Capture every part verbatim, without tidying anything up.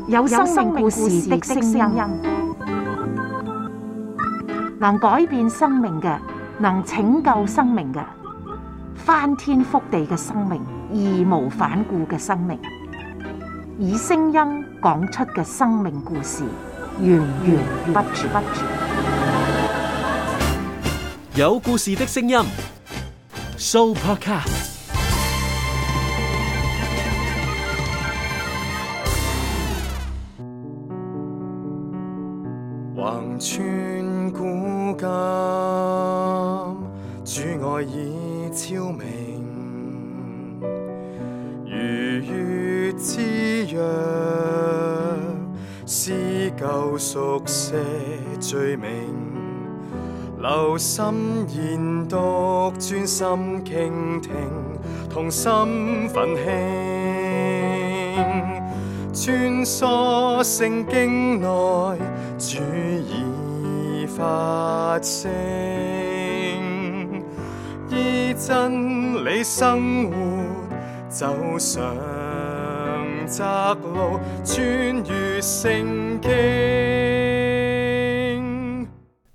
有生命故事的聲音，能改變生命嘅，能拯救生命嘅，翻天覆地嘅生命，義無反顧嘅生命，以聲音講出嘅生命故事，源源不絕。有故事的聲音 ，Sooopodcast。橫穿古今，主愛已超明，如月之約，撕舊熟寫罪名，留心研讀，專心傾聽，同心奮興，穿梭聖經內，主已發聲，依真理生活，走上窄路，穿越聖經。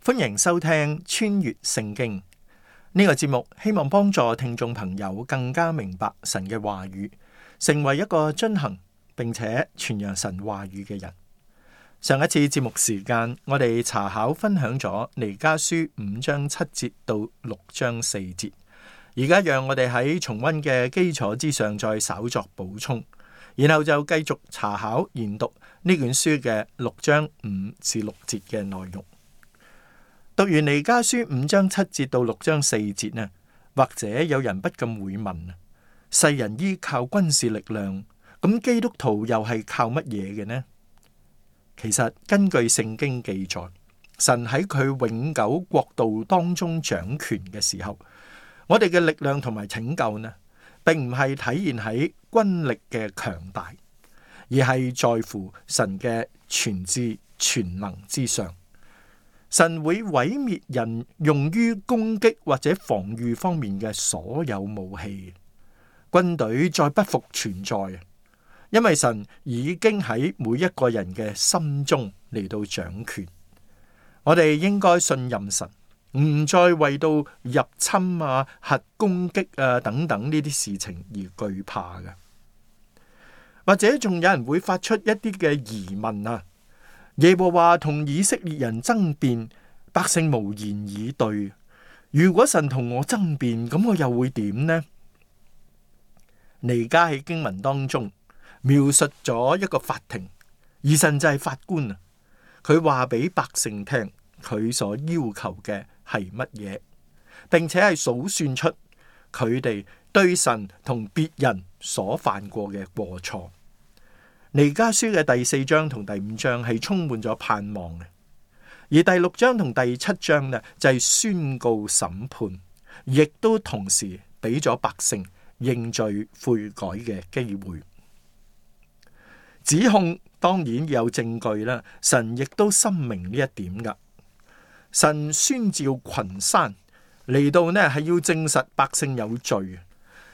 歡迎收聽穿越聖經呢個節目，希望幫助聽眾朋友更加明白神嘅話語，成為一個遵行並且傳揚神話語嘅人。上一次節目時間，我哋查考分享咗彌迦書五章七節到六章四節，而家讓我哋喺重溫嘅基礎之上再稍作補充，然後就繼續查考研讀呢卷書嘅六章五至六節嘅內容。讀完彌迦書五章七節到六章四節呢，或者有人不禁會問：世人依靠軍事力量，咁基督徒又係靠乜嘢嘅呢？其實根據聖經記載，神喺佢永久國度當中掌權嘅時候，我哋嘅力量同埋拯救呢，並唔係體現喺軍力嘅強大，而係在乎神嘅全知全能之上。神會毀滅人用於攻擊或者防禦方面嘅所有武器，軍隊再不復存在，因為神已經喺每一個人嘅心中嚟到掌權。我哋應該信任神，唔再為到入侵啊、核攻擊啊等等呢啲事情而懼怕嘅。或者仲有人會發出一啲嘅疑問啊，耶和華同以色列人爭辯，百姓無言以對。如果神同我爭辯，咁我又會點呢？彌迦喺經文當中描述咗一個法庭，而神就係法官啊。佢話俾百姓聽，佢所要求嘅係乜嘢，並且係數算出佢哋對神同別人所犯過嘅過錯。彌迦書嘅第四章同第五章係充滿咗盼望嘅，而第六章同第七章呢就係宣告審判，亦都同時俾咗百姓認罪悔改嘅機會。指控當然有證據啦，神亦都深明呢一點噶。神宣召群山嚟到呢，係要證實百姓有罪，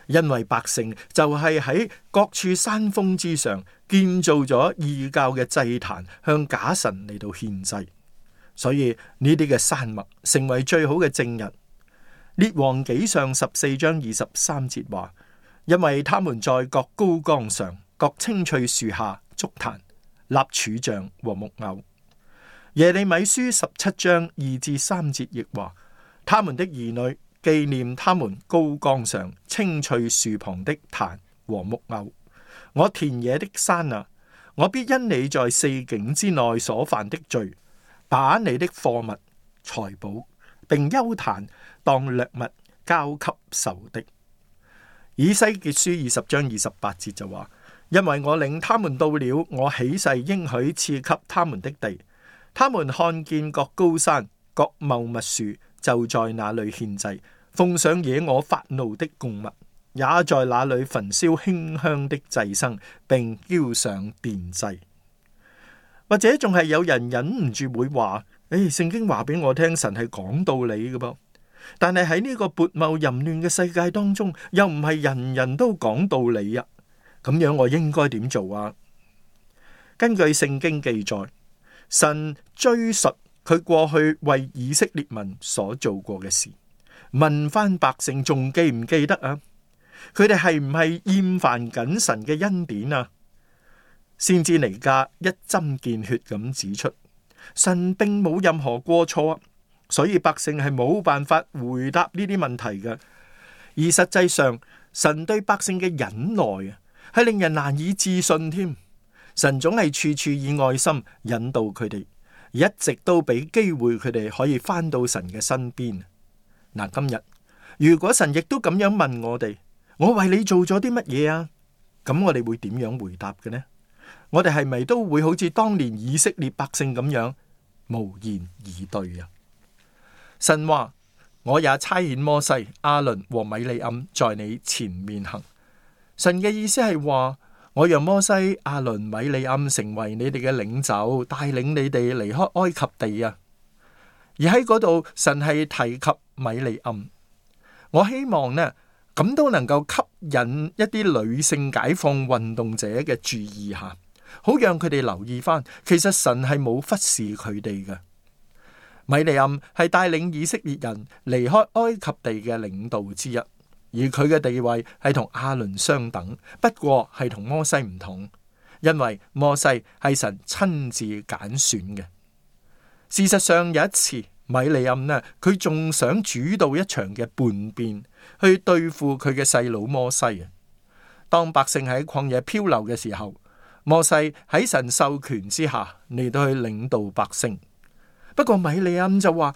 因為百姓就係喺各處山峰之上建造咗異教嘅祭壇，向假神嚟到獻祭，所以呢啲嘅山脈成為最好嘅證人。列王紀上十四章二十三節話：因為他們在各高崗上、各青翠樹下築壇、立柱像和木偶。耶利米書十七章二至三節亦話：他們的兒女紀念他們高崗上青翠樹旁的壇和木偶。我田野的山啊，我必因你在四境之內所犯的罪，把你的貨物、財寶並邱壇當掠物交給仇敵。以西結書二十章二十八節就話：因為我領他們到了我起誓應許賜給他們的地，他們看見各高山、各茂密樹，就在那裏獻祭，奉上惹我發怒的供物，也在那裏焚燒馨香的祭牲，並澆上奠祭。或者仲係有人忍唔住會話：誒，聖經話俾我聽，神係講道理嘅噃。但係喺呢個撥茂淫亂嘅世界當中，又唔係人人都講道理啊。咁樣我應該點做啊？根據聖經記載，神追述佢過去為以色列民所做過嘅事，問翻百姓仲記唔記得啊？佢哋係唔係厭煩緊神嘅恩典啊？先知彌迦一針見血咁指出，神並冇任何過錯，所以百姓係冇辦法回答呢啲問題嘅。而實際上，神對百姓嘅忍耐啊，係令人難以置信添。神總係處處以愛心引導佢哋，一直都俾機會佢哋可以翻到神嘅身邊。嗱，今日如果神亦都咁樣問我哋，我為你做咗啲乜嘢啊？咁我哋會點樣回答嘅呢？我哋係咪都會好似當年以色列百姓咁樣無言以對啊？神話，我也差遣摩西、亞倫和米利暗在你前面行。神嘅意思係話，我讓摩西、亞倫、米利暗成為你哋嘅領袖，帶領你哋離開埃及地啊。而喺嗰度，神係提及米利暗。我希望呢，咁都能夠吸引一啲女性解放運動者嘅注意下，好讓佢哋留意翻，其實神係冇忽視佢哋嘅。米利暗係帶領以色列人離開埃及地嘅領導之一，而佢嘅地位係同亞倫相等，不過係同摩西唔同，因為摩西係神親自揀選嘅。事實上有一次，米利暗呢，佢仲想主導一場嘅叛變，去對付佢嘅細佬摩西啊。當百姓喺曠野漂流嘅時候，摩西喺神授權之下嚟到去領導百姓。不過米利暗就話，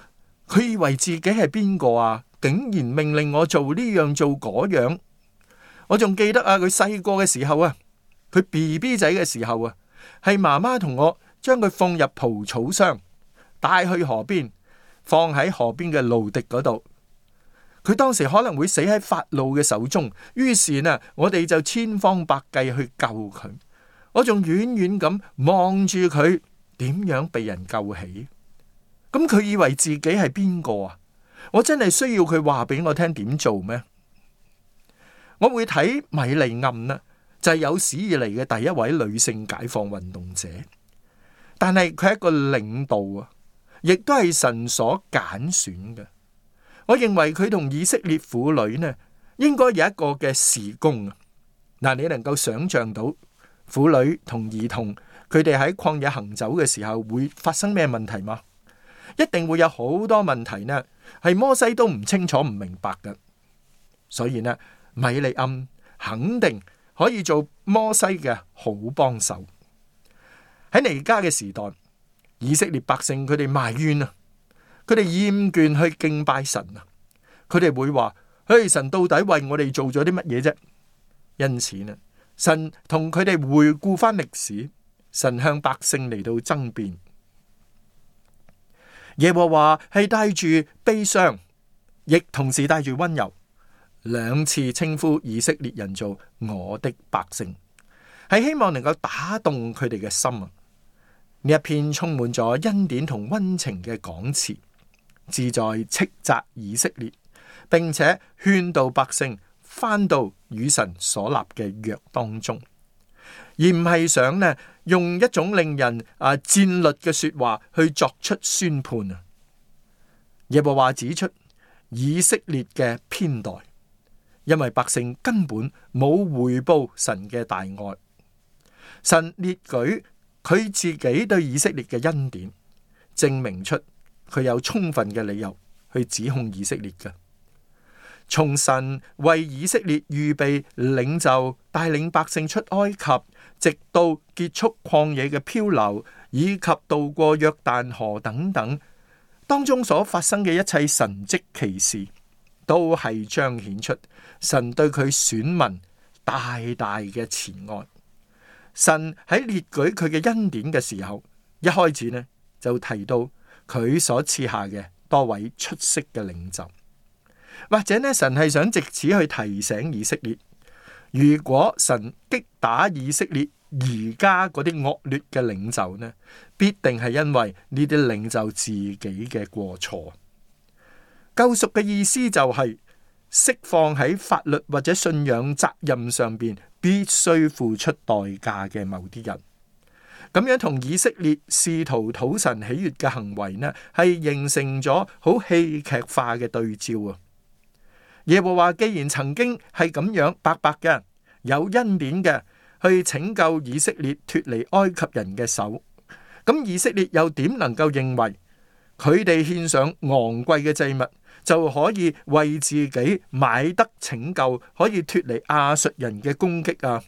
佢以為自己係邊個啊？竟然命令我做呢樣做嗰樣。我仲記得啊，佢細個嘅時候啊，佢 B B 仔嘅時候啊，係媽媽同我將佢放入蒲草箱，帶去河邊，放喺河邊嘅蘆荻嗰度。佢當時可能會死喺法老嘅手中，於是呢，我哋就千方百計去救佢。我仲遠遠咁望住佢點樣被人救起。咁佢以為自己係邊個啊？我真係需要佢話俾我聽點做咩？我會睇米利暗呢，就係有史以嚟嘅第一位女性解放運動者，但係佢係一個領導啊，亦都係神所揀選嘅。我認為佢同以色列婦女呢，應該有一個嘅事工啊。嗱，你能夠想象到婦女同兒童佢哋喺曠野行走嘅時候會發生咩問題嗎？一定會有好多問題呢，係摩西都唔清楚唔明白嘅。所以呢，米利暗肯定可以做摩西嘅好幫手。喺彌迦嘅時代，以色列百姓佢哋埋怨啊，佢哋厭倦去敬拜神啊，佢哋會話：嘿，神到底為我哋做咗啲乜嘢啫？因此呢，神同佢哋回顧翻歷史，神向百姓嚟到爭辯。耶和華係帶住悲傷，亦同時帶住溫柔，兩次稱呼以色列人做我的百姓，係希望能夠打動佢哋嘅心啊！呢一篇充滿咗恩典同溫情嘅講詞，旨在斥責以色列，並且勸導百姓返到與神所立嘅約當中，而唔係想呢用一種令人啊戰慄嘅說話去作出宣判啊！耶和華指出以色列嘅偏待，因為百姓根本冇回報神嘅大愛，神列舉佢自己對以色列嘅恩典，證明出佢有充分嘅理由去指控以色列嘅。從神為以色列預備領袖，帶領百姓出埃及，直到結束曠野嘅漂流，以及渡過約旦河等等，當中所發生嘅一切神蹟奇事，都係彰顯出神對佢選民大大嘅慈愛。神喺列舉佢嘅恩典嘅時候，一開始呢就提到佢所賜下嘅多位出色嘅領袖。或者呢，神係想借此去提醒以色列，如果神擊打以色列而家嗰啲惡劣嘅領袖呢，必定係因為呢啲領袖自己嘅過錯。救贖嘅意思就係釋放喺法律或者信仰責任上邊必須付出代價嘅某啲人，咁樣同以色列試圖討神喜悅嘅行為呢，係形成咗好戲劇化嘅對照啊！耶和華既然曾經係咁樣白白嘅有恩典嘅去拯救以色列脫離埃及人嘅手，咁以色列又點能夠認為佢哋獻上昂貴嘅祭物就可以為自己買得拯救，可以脫離亞述人嘅攻擊啊？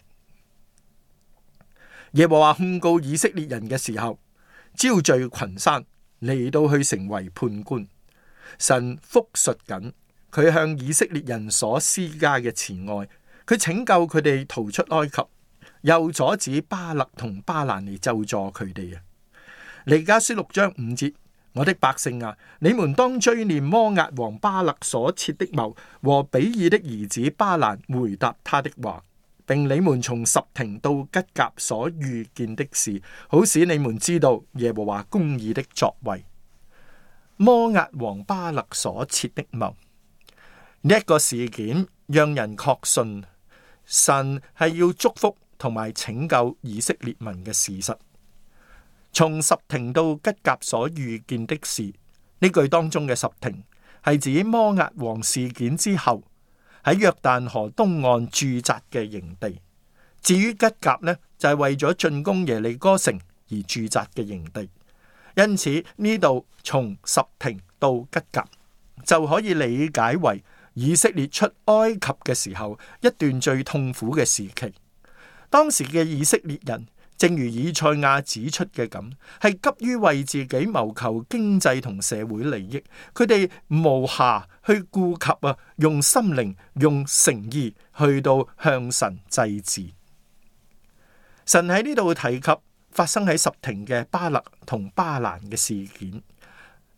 耶和華控告以色列人嘅時候，招聚群山嚟到去成為判官。神複述緊佢向以色列人所施加嘅慈愛，佢拯救佢哋逃出埃及，又阻止巴勒同巴蘭嚟咒詛佢哋啊！彌迦書六章五節：我的百姓啊，你們當追念摩押王巴勒所設的謀和比爾的兒子巴蘭回答他的話，並你們從什亭到吉甲所遇見的事，好使你們知道耶和華公義的作為。摩押王巴勒所設的謀，呢一個事件讓人確信神係要祝福同埋拯救以色列民嘅事實。從什亭到吉甲所遇見的事，呢句當中嘅什亭係指摩押王事件之後喺約旦河東岸駐紮嘅營地。至於吉甲呢，就係、是、為咗進攻耶利哥城而駐紮嘅營地。因此呢度從什亭到吉甲就可以理解為以色列出埃及嘅時候一段最痛苦嘅時期。當時嘅以色列人正如以賽亞指出嘅咁，係急於為自己謀求經濟同社會利益，佢哋無暇去顧及啊，用心靈、用誠意去到向神祭祀。神喺呢度提及發生喺什亭嘅巴勒同巴蘭嘅事件，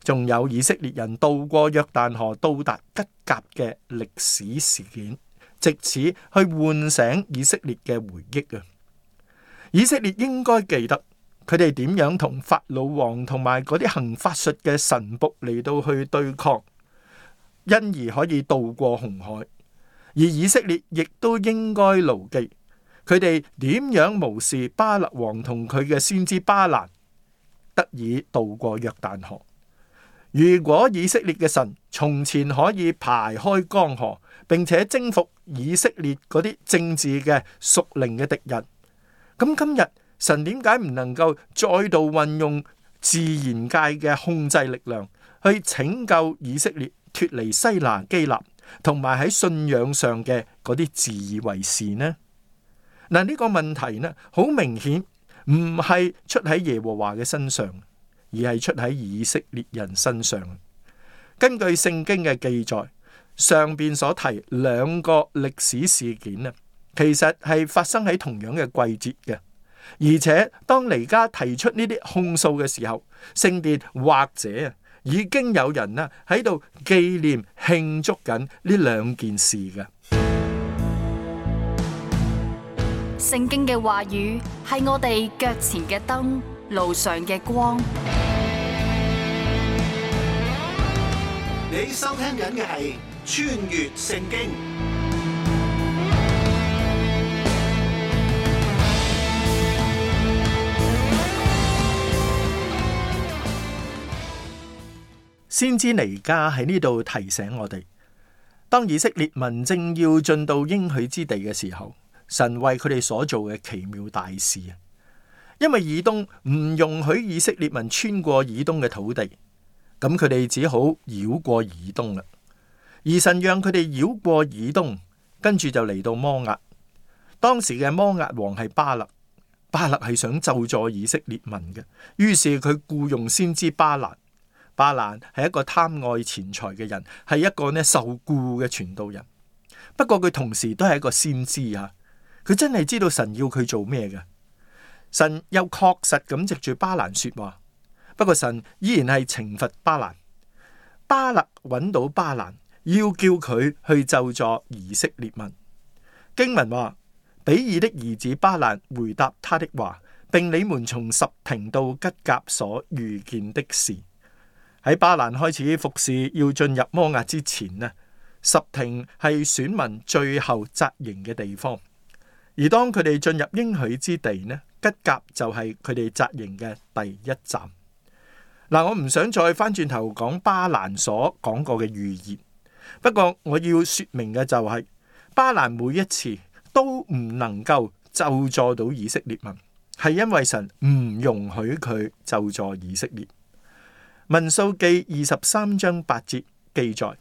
仲有以色列人渡過約旦河到達吉甲嘅歷史事件，藉此去喚醒以色列嘅回憶啊！以色列應該記得佢哋點樣同法老王同埋嗰啲行法術嘅神僕嚟到去對抗，因而可以渡過紅海。而以色列亦都應該牢記佢哋點樣無視巴勒王同佢嘅先知巴蘭，得以渡過約旦河。如果以色列嘅神從前可以排開江河，並且征服以色列嗰啲政治嘅屬靈嘅敵人，咁今日神點解唔能夠再度運用自然界嘅控制力量去拯救以色列脫離西拿基立，同埋喺信仰上嘅嗰啲自以為是呢？嗱，呢個問題呢，好明顯唔係出喺耶和華嘅身上，而係出喺以色列人身上。根據聖經嘅記載，上邊所提兩個歷史事件啊，其實係發生喺同樣嘅季節嘅，而且當彌迦提出呢啲控訴嘅時候，聖殿或者已經有人啦喺度紀念慶祝緊呢兩件事嘅。聖經嘅話語係我哋腳前嘅燈，路上嘅光。你收聽緊嘅係穿越聖經。先知彌迦喺呢度提醒我哋，當以色列民正要進到應許之地嘅時候，神為佢哋所做嘅奇妙大事啊！因為以東唔容許以色列民穿過以東嘅土地，咁佢哋只好繞過以東啦。而神讓佢哋繞過以東，跟住就嚟到摩押。當時嘅摩押王係巴勒，巴勒係想咒詛以色列民嘅，於是佢僱用先知巴蘭。巴蘭係一個貪愛錢財嘅人，係一個呢受僱嘅傳道人。不過佢同時都係一個先知啊！佢真係知道神要佢做咩嘅。神又確實咁藉住巴蘭說話。不過神依然係懲罰巴蘭。巴勒揾到巴蘭，要叫佢去咒詛以色列民。經文話，比爾的兒子巴蘭回答他的話，並你們從什亭到吉甲所遇見的事。喺巴蘭開始服侍要進入摩押之前呢，什亭係選民最後紮營嘅地方。而當佢哋進入應許之地呢，吉甲就係佢哋紮營嘅第一站。嗱，我唔想再翻轉頭講巴蘭所講過嘅預言，不過我要說明嘅就係、是、巴蘭每一次都唔能夠咒詛到以色列民，係因為神唔容許佢咒詛以色列。民數記二十三章八節記載，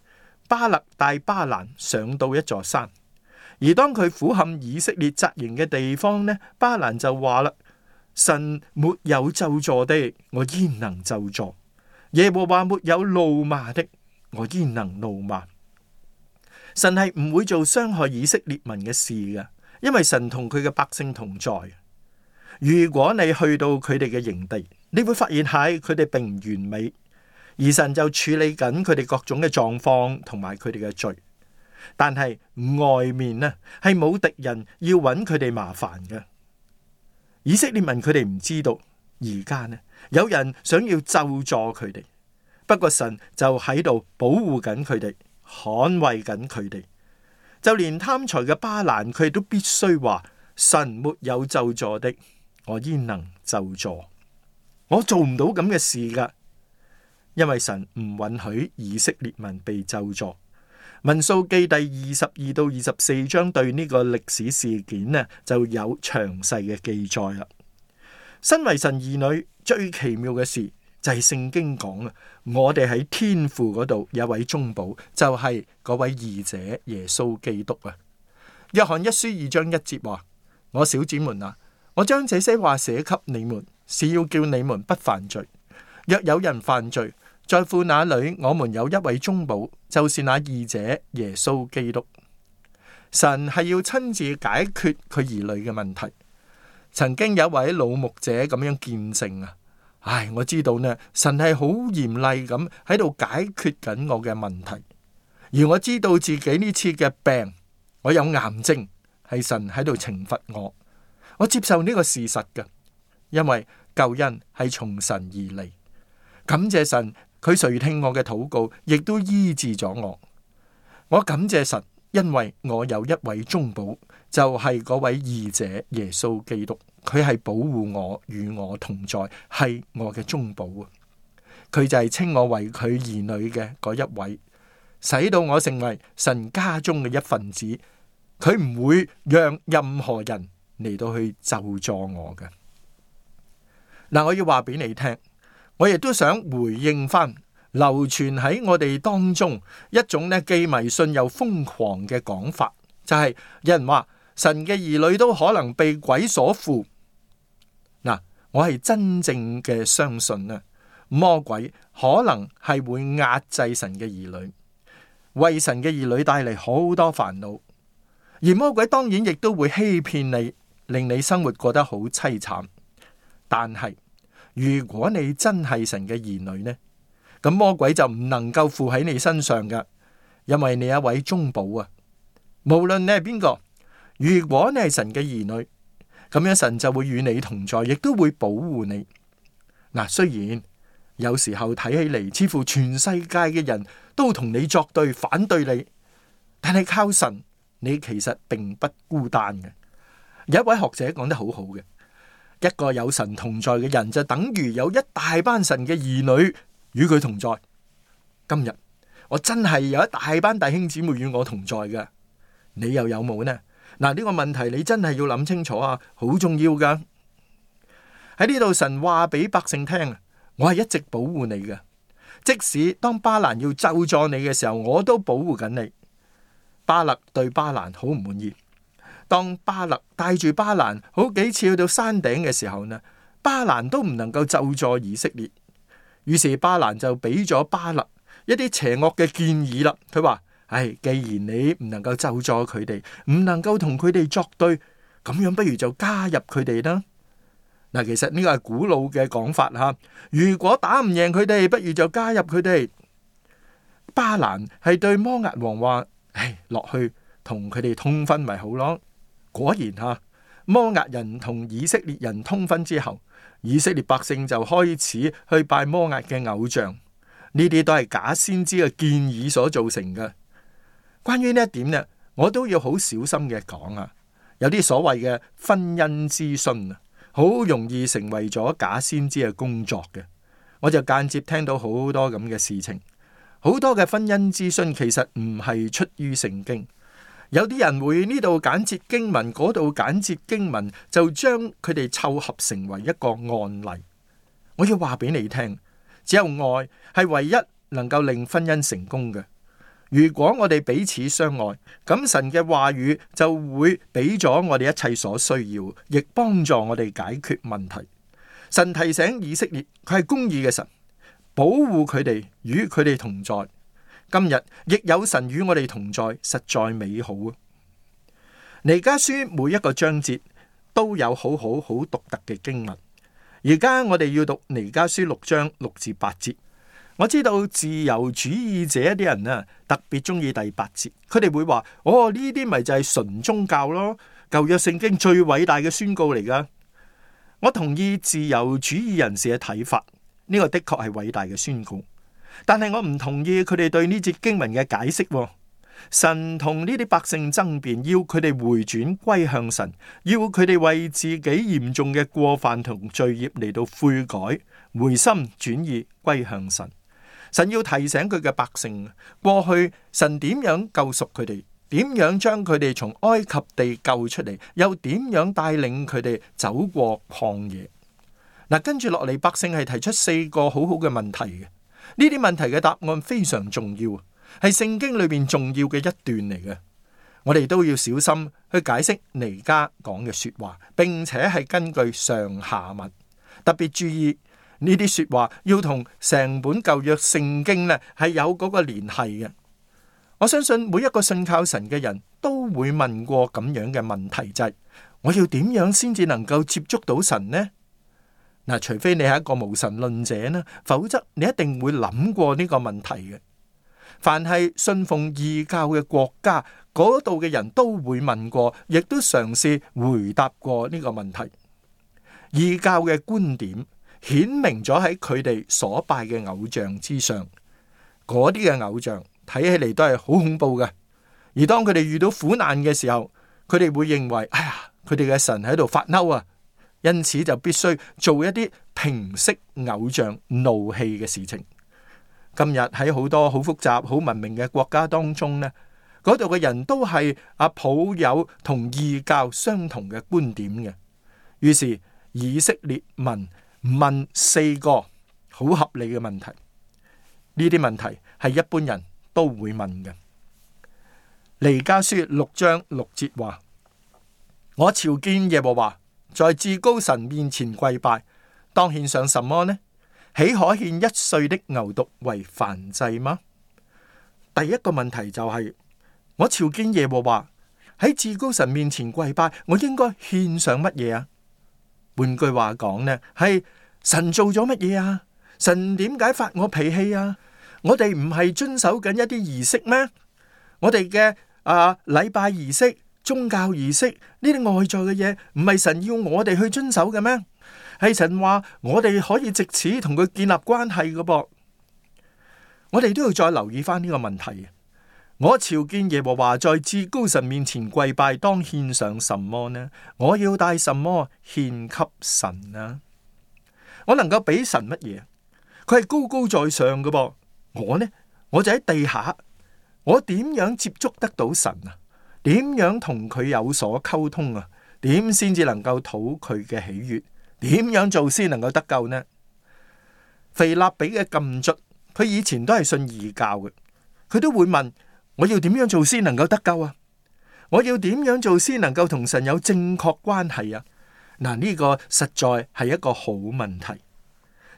巴勒帶巴蘭上到一座山，而當佢俯瞰以色列紮營嘅地方呢，巴蘭就話啦：神沒有咒詛的，我焉能咒詛？耶和華沒有怒罵的，我焉能怒罵？神係唔會做傷害以色列民嘅事嘅，因為神同佢嘅百姓同在。如果你去到佢哋嘅營地，你會發現係佢哋並唔完美，而神就處理緊佢哋各種嘅狀況同埋佢哋嘅罪。但係外面呢係冇敵人要揾佢哋麻煩嘅。以色列民佢哋唔知道，而家呢有人想要咒詛佢哋，不過神就喺度保護緊佢哋，捍衛緊佢哋。就連貪財嘅巴蘭，佢都必須話：神沒有咒詛的，我焉能咒詛？我做唔到咁嘅事噶，因為神唔允許以色列民被咒詛。民數記第二十二到二十四章對呢個歷史事件呢就有詳細嘅記載啦。身為神兒女，最奇妙嘅事就係聖經講啊，我哋喺天父嗰度有位中保，就係嗰位義者耶穌基督啊。約翰一書二章一節話：我小子們啊，我將這些話寫給你們，是要叫你們不犯罪。若有人犯罪，在父那裏，我們有一位中保，就是那義者耶穌基督。神係要親自解決佢兒女嘅問題。曾經有一位老牧者咁樣見證啊，唉，我知道呢，神係好嚴厲咁喺度解決緊我嘅問題，而我知道自己呢次嘅病，我有癌症，係神喺度懲罰我。我接受呢個事實嘅，因為救恩係從神而嚟。感謝神，佢垂聽我嘅禱告，亦都醫治咗我。我感謝神，因為我有一位中保，就係嗰位義者耶穌基督，佢係保護我，與我同在，係我嘅中保啊！佢就係稱我為佢兒女嘅嗰一位，使到我成為神家中嘅一份子。佢唔會讓任何人嚟到去咒詛我嘅。嗱，我要話俾你聽，我亦都想回應翻流傳喺我哋當中一種咧既迷信又瘋狂嘅講法，就係有人話神嘅兒女都可能被鬼所附。嗱，我係真正嘅相信啊，魔鬼可能係會壓制神嘅兒女，為神嘅兒女帶嚟好多煩惱，而魔鬼當然亦都會欺騙你，令你生活過得好淒慘。但係如果你真係神嘅兒女呢，咁魔鬼就唔能夠附喺你身上噶，因為你有一位中保啊。無論你係邊個，如果你係神嘅兒女，咁樣神就會與你同在，亦都會保護你。嗱，雖然有時候睇起嚟似乎全世界嘅人都同你作對，反對你，但係靠神，你其實並不孤單嘅。有一位學者講得好好嘅，一個有神同在嘅人就等於有一大班神嘅兒女與佢同在。今日我真係有一大班弟兄姊妹與我同在嘅，你又有冇呢？嗱，呢個問題你真係要諗清楚啊，好重要噶。喺呢度神話俾百姓聽，我係一直保護你嘅，即使當巴蘭要咒詛你嘅時候，我都保護緊你。巴勒對巴蘭好唔滿意，當巴勒帶住巴蘭好幾次去到山頂嘅時候呢，巴蘭都唔能夠咒詛以色列，於是巴蘭就俾咗巴勒一啲邪惡嘅建議啦。佢話：唉，既然你唔能夠咒詛佢哋，唔能夠同佢哋作對，咁樣不如就加入佢哋啦。嗱，其實呢個係古老嘅講法吓。如果打唔贏佢哋，不如就加入佢哋。巴蘭係對摩押王話：唉，落去同佢哋通婚咪好咯。果然吓，摩押人同以色列人通婚之後，以色列百姓就開始去拜摩押嘅偶像。呢啲都係假先知嘅建議所造成嘅。關於呢一點呢，我都要好小心嘅講啊。有啲所謂嘅婚姻諮詢啊，好容易成為咗假先知嘅工作嘅。我就間接聽到好多咁嘅事情，好多嘅婚姻諮詢其實唔係出於聖經。有啲人會呢度揀節經文，嗰度揀節經文，就將佢哋湊合成為一個案例。我要話俾你聽，只有愛係唯一能夠令婚姻成功嘅。如果我哋彼此相愛，咁神嘅話語就會俾咗我哋一切所需要，亦幫助我哋解決問題。神提醒以色列，佢係公義嘅神，保護佢哋，與佢哋同在。今日亦有神與我哋同在，實在美好啊！彌迦書每一個章節都有好好好獨特嘅經文。而家我哋要讀彌迦書六章六至八節。我知道自由主義者一啲人啊，特別中意第八節，佢哋會話：哦，呢啲咪就係純宗教咯，舊約聖經最偉大嘅宣告嚟噶。我同意自由主義人士嘅睇法，呢個的確係偉大嘅宣告。但係我唔同意佢哋對呢節經文嘅解釋。神同呢啲百姓爭辯，要佢哋回轉歸向神，要佢哋為自己嚴重嘅過犯同罪孽嚟到悔改，回心轉意歸向神。神要提醒佢嘅百姓，過去神點樣救贖佢哋，點樣將佢哋從埃及地救出嚟，又點樣帶領佢哋走過曠野。嗱，跟住落嚟，百姓係提出四個好好嘅問題嘅。呢啲問題嘅答案非常重要，係聖經裏邊重要嘅一段嚟嘅。我哋都要小心去解釋彌迦講嘅說話，並且係根據上下文，特別注意呢啲說話要同成本舊約聖經呢係有嗰個聯繫嘅。我相信每一個信靠神嘅人都會問過咁樣嘅問題，就係我要點樣先至能夠接觸到神呢？嗱，除非你係一個無神論者呢，否則你一定會諗過呢個問題嘅。凡係信奉異教嘅國家，嗰度嘅人都會問過，亦都嘗試回答過呢個問題。異教嘅觀點顯明咗喺佢哋所拜嘅偶像之上，嗰啲嘅偶像睇起嚟都係好恐怖嘅。而當佢哋遇到苦難嘅時候，佢哋會認為，哎呀，佢哋嘅神喺度發嬲啊！因此就必須做一啲平息偶像怒氣嘅事情。今日喺好多好複雜、好文明嘅國家當中呢，嗰度嘅人都係啊抱有同異教相同嘅觀點嘅。於是以色列民問四個好合理嘅問題，呢啲問題係一般人都會問嘅。彌迦書六章六節話：我朝見耶和華，在至高神面前跪拜，當獻上什麼呢？豈可獻一歲的牛犢為燔祭嗎？第一個問題就係、是、我朝見耶和華，喺至高神面前跪拜，我應該獻上乜嘢啊？換句話講呢，係神做咗乜嘢啊？神點解發我脾氣啊？我哋唔係遵守緊一啲儀式咩？我哋嘅啊禮拜儀式、宗教儀式呢啲外在嘅嘢，唔係神要我哋去遵守嘅咩？係神話我哋可以借此同佢建立關係嘅噃。我哋都要再留意翻呢個問題。我朝見耶和華，在至高神面前跪拜，當獻上什麼呢？我要帶什麼獻給神啊？我能夠俾神乜嘢？佢係高高在上嘅噃。我呢，我就喺地下。我點樣接觸得到神啊？點樣同佢有所溝通啊？點先至能夠討佢嘅喜悅？點樣做先能夠得救呢？腓立比嘅禁卒，佢以前都係信異教嘅，佢都會問：我要點樣做先能夠得救啊？我要點樣做先能夠同神有正確關係啊？嗱，呢個實在係一個好問題。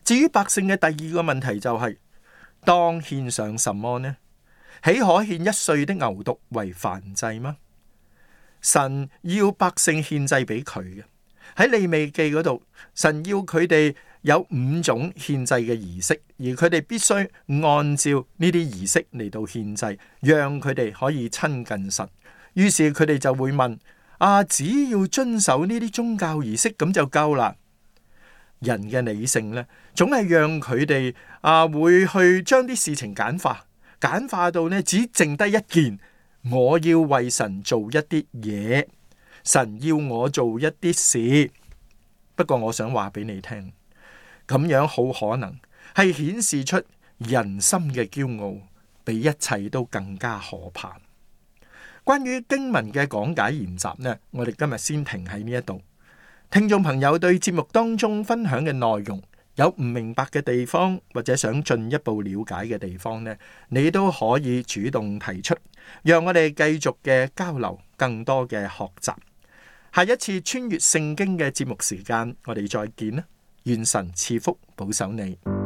至於百姓嘅第二個問題就係、是：當獻上什麼呢？豈可獻一歲的牛犢為燔祭嗎？神要百姓獻祭俾佢嘅。喺利未記嗰度，神要佢哋有五種獻祭嘅儀式，而佢哋必須按照呢啲儀式嚟到獻祭，讓佢哋可以親近神。於是佢哋就會問：啊，只要遵守呢啲宗教儀式咁就夠啦？人嘅理性呢，總係讓佢哋啊會去將啲事情簡化，簡化到呢只剩低一件：我要為神做一啲嘢。神要我做一啲事，不過我想話俾你聽，咁樣好可能係顯示出人心嘅驕傲，比一切都更加可怕。關於經文嘅講解研習呢，我哋今日先停喺呢一度。聽眾朋友對節目當中分享嘅內容有唔明白嘅地方，或者想進一步了解嘅地方呢，你都可以主動提出，讓我哋繼續嘅交流，更多嘅學習。下一次穿越聖經嘅節目時間，我哋再見啦！願神賜福保守你。